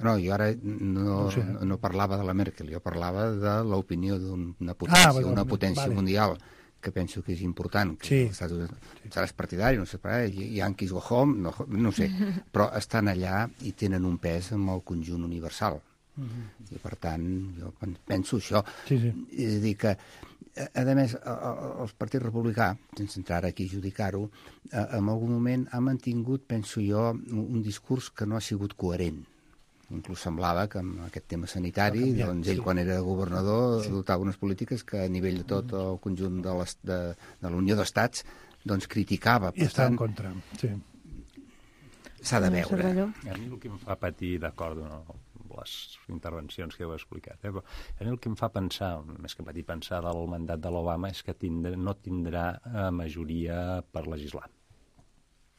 No, jo ara no parlava de la Merkel, jo parlava de l'opinió d'una potència, una potència mundial, que penso que és important, que seràs partidari, no sé, Yankees go home, no sé, però estan allà i tenen un pes amb el conjunt universal. I per tant, jo penso això. És a dir que, a més, el Partit Republicà, sense entrar aquí a judicar-ho, en algun moment ha mantingut, penso jo, un discurs que no ha sigut coherent. Inclús semblava que amb aquest tema sanitari, doncs ell, quan era governador, adoptava unes polítiques que a nivell de tot el conjunt de la Unió d'Estats doncs criticava. I està en contra, sí. S'ha de veure. A mi el que em fa patir, d'acord, les intervencions que heu explicat, però a mi el que em fa pensar, més que patir pensar del mandat de l'Obama, és que no tindrà majoria per legislar,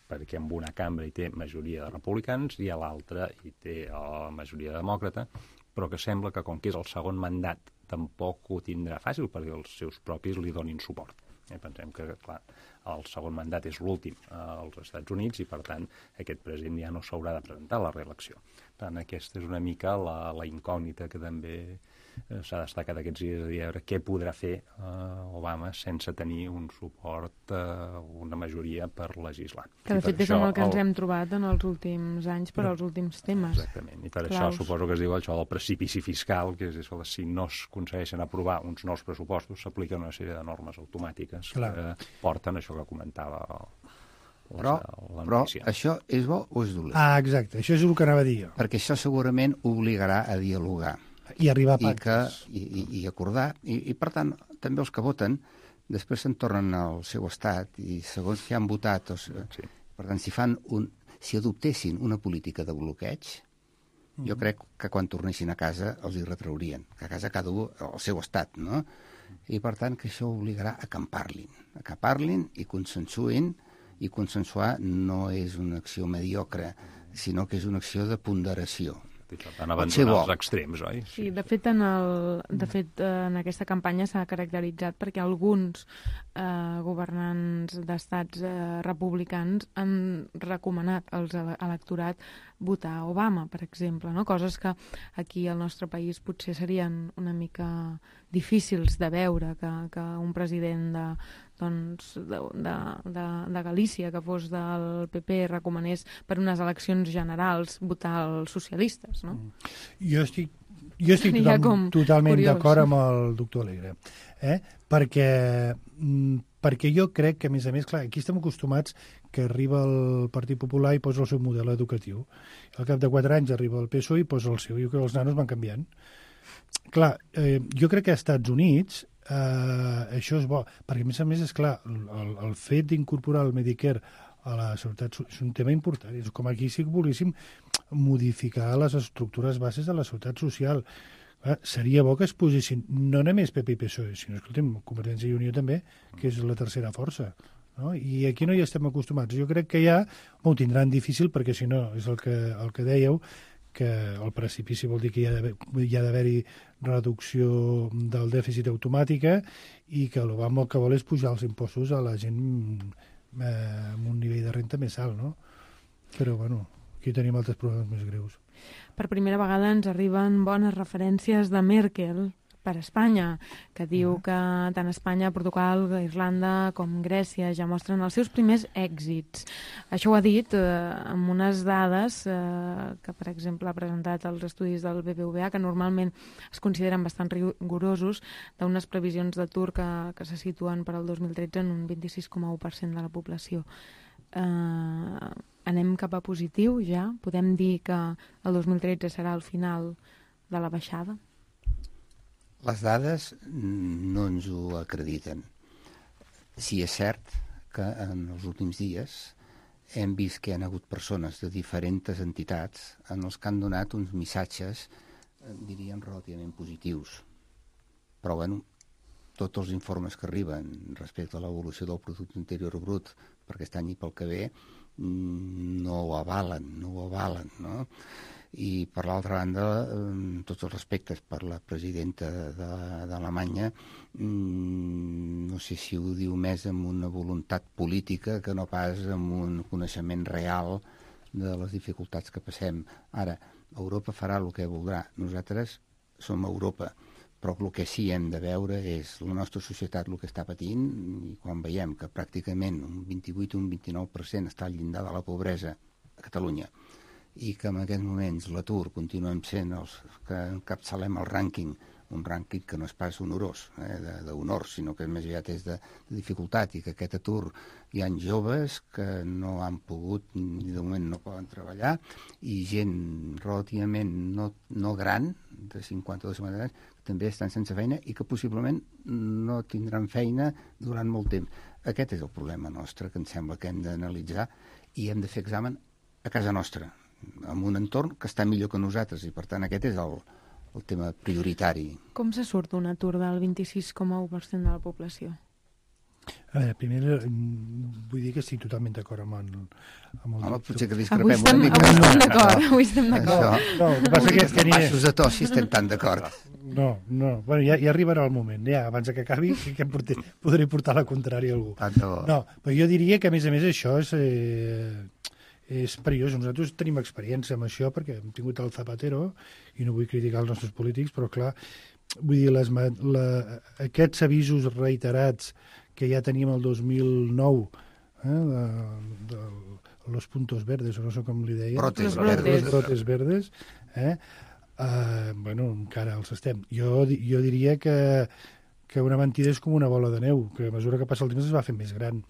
perquè en una cambra hi té majoria de republicans i a l'altra hi té la majoria demòcrata, però que sembla que com que és el segon mandat tampoc ho tindrà fàcil perquè els seus propis li donin suport. Pensem que, clar, el segon mandat és l'últim als Estats Units i, per tant, aquest president ja no s'haurà de presentar a la reelecció. Per tant, aquesta és una mica la incògnita que també s'ha destacat aquests dies, de veure què podrà fer Obama sense tenir un suport, una majoria per legislar. Que de fet és amb el que ens hem trobat en els últims anys per als últims temes. Exactament, i per això suposo que es diu això del precipici fiscal, que és si no es aconsegueixen aprovar uns nous pressupostos, s'apliquen una sèrie de normes automàtiques que porten això que comentava Però això és bo o és dolent? Exacte, això és el que anava a dir jo. Perquè això segurament obligarà a dialogar. I arribar a pactes. I acordar. I, per tant, també els que voten després se'n tornen al seu estat i segons que han votat... Per tant, si adoptessin una política de bloqueig, jo crec que quan tornessin a casa els hi retraurien. Que a casa cada un al seu estat, no? I, per tant, que això obligarà a que en parlin i consensuïn, i consensuar no és una acció mediocre, sinó que és una acció de ponderació. Per abandonar els extrems, oi? Sí, de fet, en aquesta campanya s'ha caracteritzat perquè alguns governants d'estats republicans han recomanat als electorat votar Obama, per exemple, no? Coses que aquí al nostre país potser serien una mica difícils de veure, que un president de Galícia, que fos del PP, recomanés per unes eleccions generals votar els socialistes, no? Jo estic totalment d'acord amb el doctor Alegre, perquè jo crec que, a més, clar, aquí estem acostumats que arriba el Partit Popular i posa el seu model educatiu. Al cap de 4 anys arriba el PSOE i posa el seu. Jo crec que els nanos van canviant. Clar, jo crec que als Estats Units això és bo, perquè a més és clar, el fet d'incorporar el Medicare a la seguretat és un tema important. És com aquí si volguéssim modificar les estructures bases de la seguretat social. Seria bo que es posessin no només PP i PSOE, sinó, escoltem, Convergència i Unió també, que és la tercera força. No? I aquí no hi estem acostumats. Jo crec que ja ho tindran difícil, perquè si no, és el que dèieu, que el precipici vol dir que hi ha d'haver-hi reducció del dèficit automàtica i que l'Obama el que vol és pujar els impostos a la gent amb un nivell de renta més alt, no? Però, bueno, aquí tenim altres problemes més greus. Per primera vegada ens arriben bones referències de Merkel per Espanya, que diu que tant Espanya, Portugal, Irlanda com Grècia ja mostren els seus primers èxits. Això ho ha dit amb unes dades que, per exemple, ha presentat els estudis del BBVA, que normalment es consideren bastant rigorosos, d'unes previsions d'atur que se situen per al 2013 en un 26,1% de la població. Anem cap a positiu ja? Podem dir que el 2013 serà el final de la baixada? Les dades no ens ho acrediten. Sí, és cert que en els últims dies hem vist que hi ha hagut persones de diferents entitats en els que han donat uns missatges, diríem, relativament positius. Però, bueno, tots els informes que arriben respecte a l'evolució del producte interior brut per aquest any i pel que ve no ho avalen, no? I, per l'altra banda, tots els respectes per la presidenta d'Alemanya, no sé si ho diu més amb una voluntat política que no pas amb un coneixement real de les dificultats que passem. Ara, Europa farà el que voldrà. Nosaltres som Europa, però el que sí hem de veure és la nostra societat el que està patint, i quan veiem que pràcticament un 28 o un 29% està al llindar de la pobresa a Catalunya, i que en aquests moments l'atur continuem sent els que encapçalem el rànquing, un rànquing que no és pas honorós, d'honor, sinó que més aviat és de dificultat, i que aquest atur hi ha joves que no han pogut, ni de moment no poden treballar, i gent relativament no gran, de 52 anys, que també estan sense feina i que possiblement no tindran feina durant molt temps. Aquest és el problema nostre, que em sembla que hem d'analitzar, i hem de fer examen a casa nostra, en un entorn que està millor que nosaltres, i per tant aquest és el tema prioritari. Com se surt un atur del 26,1% de la població? A veure, primer vull dir que estic totalment d'acord amb el Home, potser que discrepem una mica. Avui estem d'acord. No, el que passa que els baixos de to si estem tan d'acord. No. Bueno, ja arribarà el moment. Ja, abans que acabi, que podré portar la contrària a algú. No, però jo diria que, a més, això és perillós. Nosaltres tenim experiència amb això perquè hem tingut el Zapatero i no vull criticar els nostres polítics, però clar, vull dir, aquests avisos reiterats que ja teníem el 2009 de los puntos verdes, o no sé com li deia. Brotes verdes. Bueno, encara els estem. Jo diria que una mentida és com una bola de neu, que a mesura que passa el temps es va fent més gran.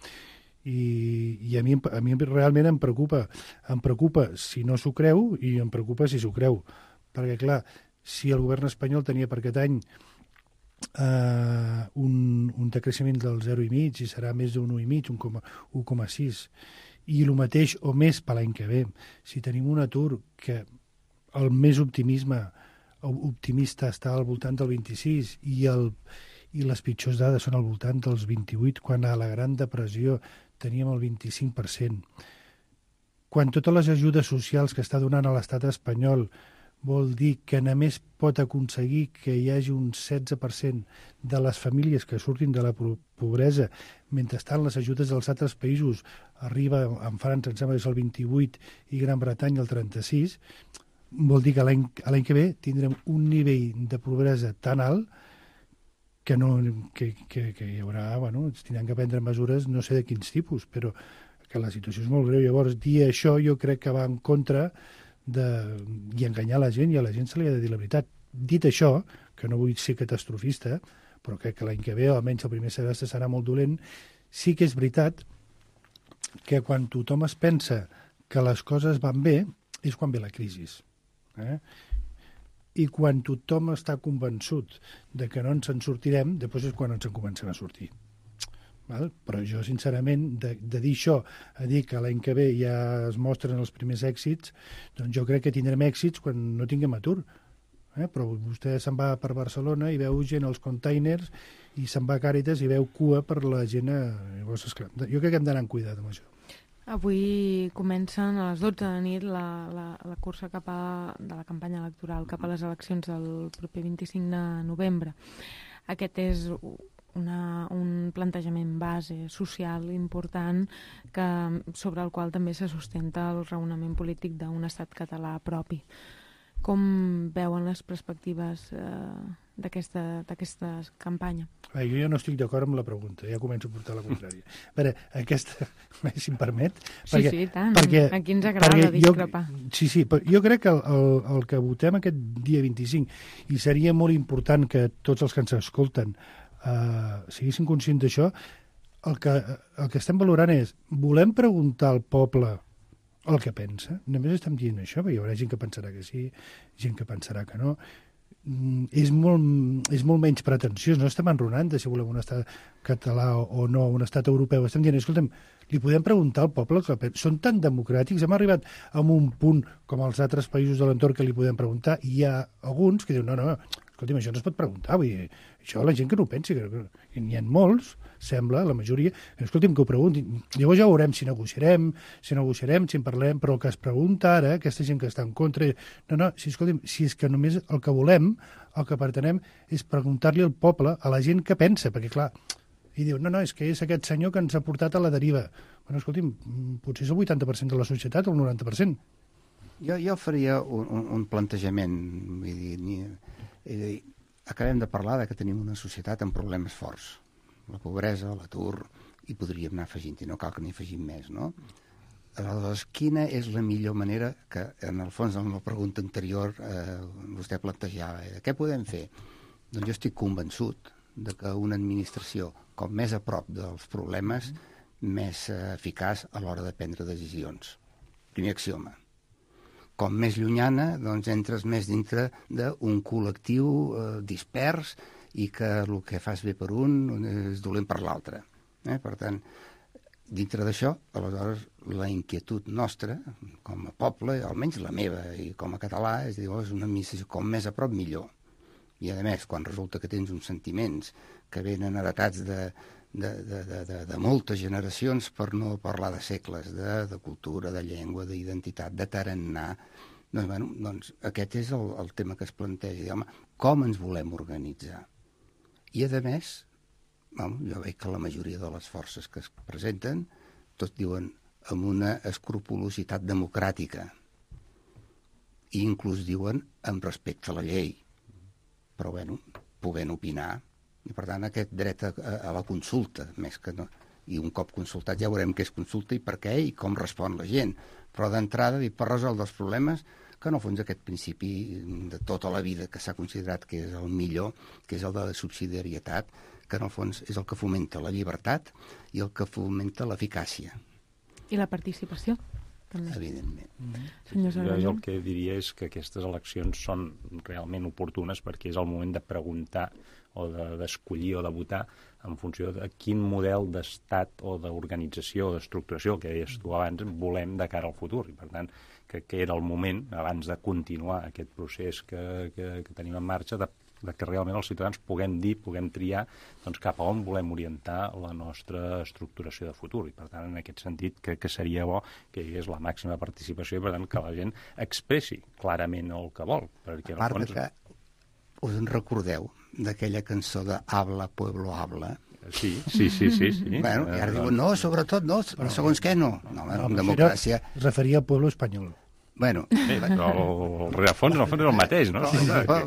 I a mi realment em preocupa. Em preocupa si no s'ho creu i em preocupa si s'ho creu. Perquè, clar, si el govern espanyol tenia per aquest any un decreixement del 0,5 i serà més d'un 1,5, 1,6, i el mateix o més per l'any que ve. Si tenim un atur que el més optimista està al voltant del 26 i les pitjors dades són al voltant dels 28, quan a la Gran Depressió teníem el 25%. Quan totes les ajudes socials que està donant a l'estat espanyol vol dir que només pot aconseguir que hi hagi un 16% de les famílies que surtin de la pobresa, mentrestant les ajudes dels altres països arriba, en França em sembla que és el 28 i Gran Bretanya el 36, vol dir que l'any que ve tindrem un nivell de pobresa tan alt que hi haurà, bueno, tindran que prendre mesures no sé de quins tipus, però que la situació és molt greu. Llavors, dir això jo crec que va en contra i enganyar la gent, i a la gent se li ha de dir la veritat. Dit això, que no vull ser catastrofista, però crec que l'any que ve, almenys el primer semestre, serà molt dolent, sí que és veritat que quan tothom es pensa que les coses van bé, és quan ve la crisi. I quan tothom està convençut de que no ens en sortirem, després és quan ens en comencem a sortir. Val? Però jo, sincerament, de dir això a dir que l'any que ve ja es mostren els primers èxits, doncs jo crec que tindrem èxits quan no tinguem atur. Però vostè se'n va per Barcelona i veu gent als containers i se'n va a Càritas i veu cua per la gent. Llavors, esclar, jo crec que hem d'anar amb cuidat amb això. Avui comencen a les 12 de nit la cursa de la campanya electoral cap a les eleccions del proper 25 de novembre. Aquest és un plantejament base social important sobre el qual també se sustenta el raonament polític d'un estat català propi. Com veuen les perspectives d'aquesta campanya? Jo ja no estic d'acord amb la pregunta, ja començo a portar la contrària. A veure, aquesta, si em permet... Sí, tant. Aquí ens agrada discrepar. Sí, però jo crec que el que votem aquest dia 25, i seria molt important que tots els que ens escolten siguessin conscients d'això, el que estem valorant és, volem preguntar al poble el que pensa? Només estem dient això, perquè hi haurà gent que pensarà que sí, gent que pensarà que no. és molt menys pretensiós. No estem enronant de si volem un estat català o no, un estat europeu. Estem dient, escolta'm, li podem preguntar al poble que són tan democràtics, hem arribat a un punt com els altres països de l'entorn que li podem preguntar, i hi ha alguns que diuen, no, escolta'm, això no es pot preguntar, vull dir, això la gent que no ho pensi, que n'hi ha molts, sembla, la majoria, escolta'm, que ho preguntin. Llavors ja veurem si negociarem, si en parlem, però el que es pregunta ara, aquesta gent que està en contra, escolta'm, si és que només el que volem, el que pretenem, és preguntar-li al poble, a la gent que pensa, perquè clar, i diu, no, és que és aquest senyor que ens ha portat a la deriva. Bueno, escolti'm, potser és el 80% de la societat o el 90%. Jo faria un plantejament, vull dir, acabem de parlar de que tenim una societat amb problemes forts. La pobresa, l'atur, i podríem anar afegint, i no cal que n'hi afegim més, no? Aleshores, quina és la millor manera que, en el fons, en la pregunta anterior, vostè plantejava, què podem fer? Doncs jo estic convençut de que una administració, com més a prop dels problemes, més eficaç a l'hora de prendre decisions. Primer axioma. Com més llunyana, doncs entres més dintre d'un col·lectiu dispers i que el que fas bé per un és dolent per l'altre. Per tant, dintre d'això, aleshores, la inquietud nostra, com a poble, almenys la meva i com a català, és dir, és una administració com més a prop millor. I, a més, quan resulta que tens uns sentiments que venen heretats de moltes generacions, per no parlar de segles, de cultura, de llengua, d'identitat, de tarannà, doncs aquest és el tema que es planteja. Home, com ens volem organitzar? I, a més, jo veig que la majoria de les forces que es presenten tots diuen amb una escrupolositat democràtica i inclús diuen amb respecte a la llei, però podent opinar, i per tant aquest dret a la consulta, més que no, i un cop consultat ja veurem què és consulta i per què i com respon la gent, però d'entrada per resoldre els problemes, que en el fons aquest principi de tota la vida que s'ha considerat que és el millor, que és el de la subsidiarietat, que en el fons és el que fomenta la llibertat i el que fomenta l'eficàcia. I la participació, també. Evidentment. Jo el que diria és que aquestes eleccions són realment oportunes perquè és el moment de preguntar o d'escollir o de votar en funció de quin model d'estat o d'organització o d'estructuració, que deies tu abans, volem de cara al futur. I per tant, que era el moment, abans de continuar aquest procés que tenim en marxa, de que realment els ciutadans puguem dir, puguem triar doncs, cap a on volem orientar la nostra estructuració de futur. I per tant, en aquest sentit, que seria bo que hi hagués la màxima participació i per tant que la gent expressi clarament el que vol. Perquè, a part que us en recordeu d'aquella cançó de Habla, Pueblo, Habla? Sí. Bueno, i ara diuen, no, sobretot no, segons què no. No, en democràcia... Es referia al pueblo espanyol. Bueno, però el rerefons, en el fons, és el mateix, no?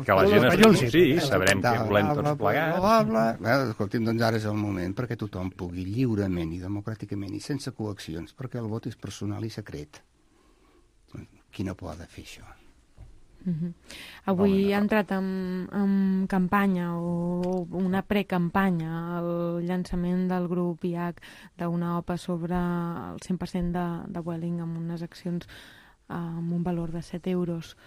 Que la gent sí, sabrem què volem tots plegats. Escolti'm, doncs ara és el moment perquè tothom pugui lliurement i democràticament i sense coaccions, perquè el vot és personal i secret. Qui no pot fer això? Avui ha entrat en campanya o una precampanya el llançament del grup IAC d'una OPA sobre el 100% de Vueling amb unes accions amb un valor de 7 euros.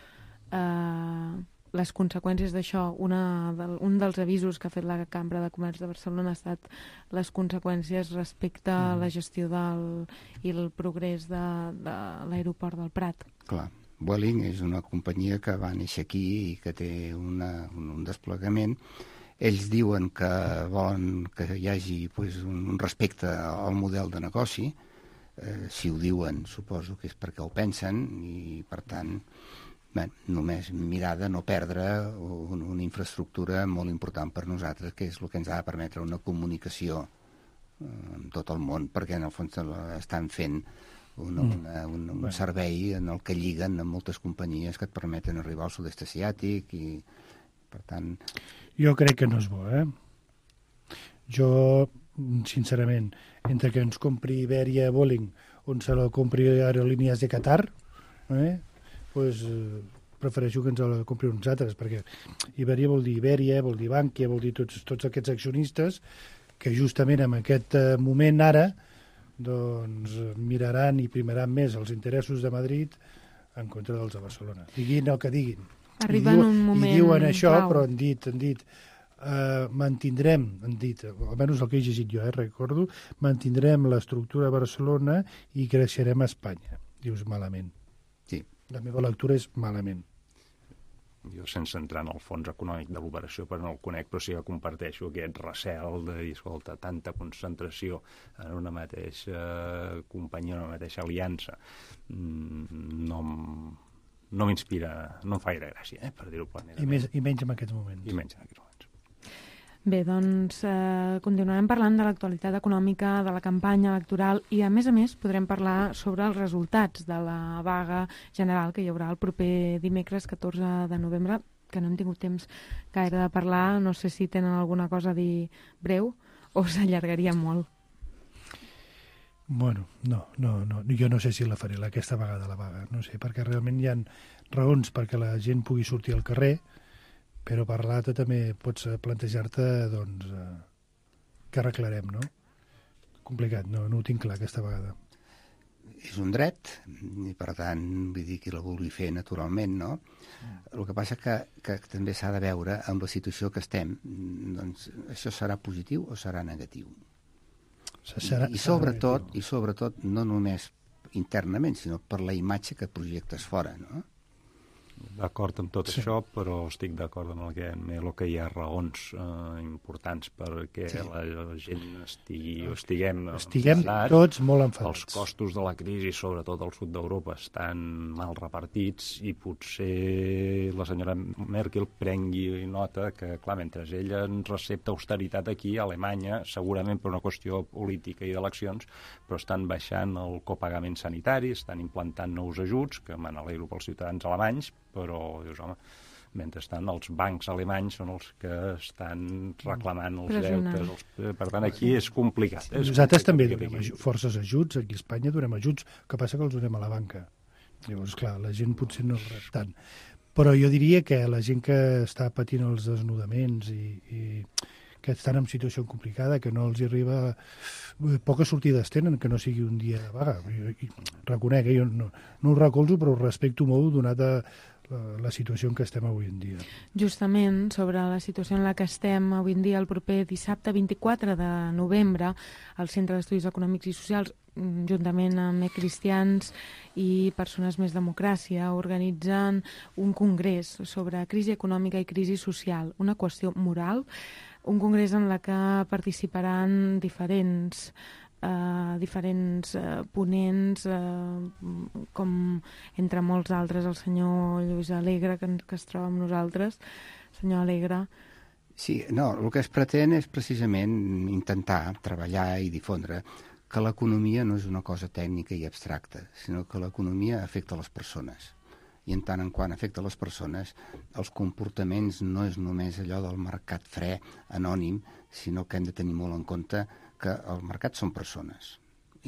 Les conseqüències d'això, un dels avisos que ha fet la Cambra de Comerç de Barcelona ha estat les conseqüències respecte a la gestió i el progrés de l'aeroport del Prat. Clar. Vueling és una companyia que va néixer aquí i que té un desplegament. Ells diuen que volen que hi hagi un respecte al model de negoci. Si ho diuen, suposo que és perquè ho pensen i, per tant, només mirar de no perdre una infraestructura molt important per nosaltres, que és el que ens ha de permetre una comunicació amb tot el món, perquè en el fons estan fent un servei en el que lliguen amb moltes companyies que et permeten arribar al sud-est asiàtic i, per tant... Jo crec que no és bo, Jo, sincerament, entre que ens compri Iberia Vueling on se la compri Aerolíneas de Qatar, prefereixo que ens la compri uns altres, perquè Iberia vol dir Iberia, vol dir Bankia, vol dir tots aquests accionistes que justament en aquest moment ara doncs miraran i primaran més els interessos de Madrid en contra dels de Barcelona. Diguin el que diguin. Arriba en un moment I diuen això, clau. però han dit mantindrem, almenys el que he llegit jo, recordo, mantindrem l'estructura a Barcelona i creixerem a Espanya. Dius malament. Sí. La meva lectura és malament. Jo, sense entrar en el fons econòmic de l'operació, però no el conec, però sí que comparteixo aquest recel de dir, escolta, tanta concentració en una mateixa companyia, en una mateixa aliança, no m'inspira, no em fa gaire gràcia, per dir-ho planera. I menys en aquests moments. I menys en aquests moments. Bé, doncs continuarem parlant de l'actualitat econòmica, de la campanya electoral i, a més, podrem parlar sobre els resultats de la vaga general que hi haurà el proper dimecres 14 de novembre, que no hem tingut temps gaire de parlar. No sé si tenen alguna cosa a dir breu o s'allargaria molt. Bueno, no. Jo no sé si la faré aquesta vegada, la vaga. No sé, perquè realment hi ha raons perquè la gent pugui sortir al carrer, però per l'altre també pots plantejar-te doncs, què arreglarem, no? Complicat, no ho tinc clar aquesta vegada. És un dret, i per tant, vull dir, qui la vulgui fer naturalment, no? El que passa que també s'ha de veure amb la situació que estem. Doncs això serà positiu o serà negatiu? I sobretot, no només internament, sinó per la imatge que projectes fora, no? D'acord amb tot això, però estic d'acord amb el que hi ha raons importants perquè la gent estiguem tots molt enfadats. Els costos de la crisi, sobretot al sud d'Europa, estan mal repartits i potser la senyora Merkel prengui nota que, clar, mentre ella ens recepta austeritat aquí a Alemanya, segurament per una qüestió política i d'eleccions, però estan baixant el copagament sanitari, estan implantant nous ajuts, que me n'alegro pels ciutadans alemanys, però, dius, home, mentrestant els bancs alemanys són els que estan reclamant els deutes. Per tant, aquí és complicat. Nosaltres també donem forces ajuts, aquí a Espanya donem ajuts, el que passa que els donem a la banca. Llavors, clar, la gent potser no rep tant. Però jo diria que la gent que està patint els desnudaments i que estan en situació complicada, que no els arriba... Poques sortides tenen, que no sigui un dia de vaga. Reconec, jo no ho recolzo, però ho respecto molt, donat la situació en què estem avui en dia. Justament sobre la situació en la que estem avui en dia, el proper dissabte 24 de novembre, al Centre d'Estudis Econòmics i Socials, juntament amb Cristians i Persones Més Democràcia, organitzen un congrés sobre crisi econòmica i crisi social, una qüestió moral, un congrés en la que participaran diferents ponents, com entre molts altres el senyor Lluís Alegre, que es troba amb nosaltres. Senyor Alegre. Sí, no, el que es pretén és precisament intentar treballar i difondre que l'economia no és una cosa tècnica i abstracta, sinó que l'economia afecta les persones. I en tant en quant afecta les persones, els comportaments no és només allò del mercat fre, anònim, sinó que hem de tenir molt en compte que el mercat són persones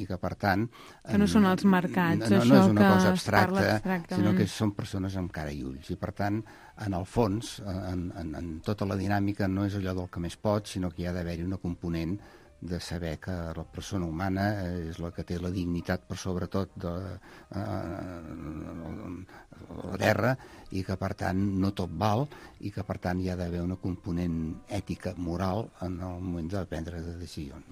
i que, per tant... Que no són els mercats, no això és una que cosa es parla abstracta, sinó que són persones amb cara i ulls. I, per tant, en el fons, en tota la dinàmica, no és allò del que més pot, sinó que hi ha d'haver-hi una component de saber que la persona humana és la que té la dignitat per sobretot de la guerra i que per tant no tot val i que per tant hi ha d'haver una component ètica, moral en el moment de prendre decisions.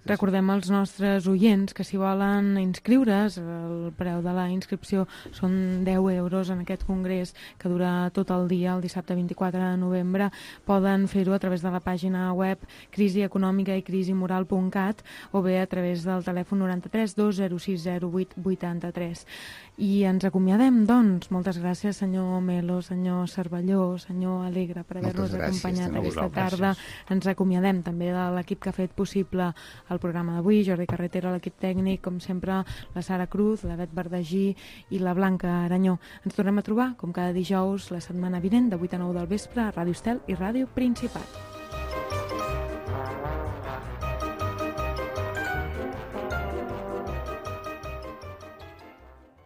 Recordem als nostres oients que si volen inscriure's, el preu de la inscripció són 10 euros en aquest congrés que dura tot el dia, el dissabte 24 de novembre. Poden fer-ho a través de la pàgina web crisieconòmica i crisimoral.cat o bé a través del telèfon 93 206 08 83. I ens acomiadem, doncs. Moltes gràcies, senyor Melo, senyor Cervelló, senyor Alegre, per haver-nos acompanyat aquesta tarda. Ens acomiadem també de l'equip que ha fet possible el programa d'avui, Jordi Carretera, l'equip tècnic, com sempre, la Sara Cruz, la Bet Verdagí i la Blanca Aranyó. Ens tornem a trobar, com cada dijous, la setmana vinent, de 8 a 9 del vespre, a Ràdio Estel i Ràdio Principat.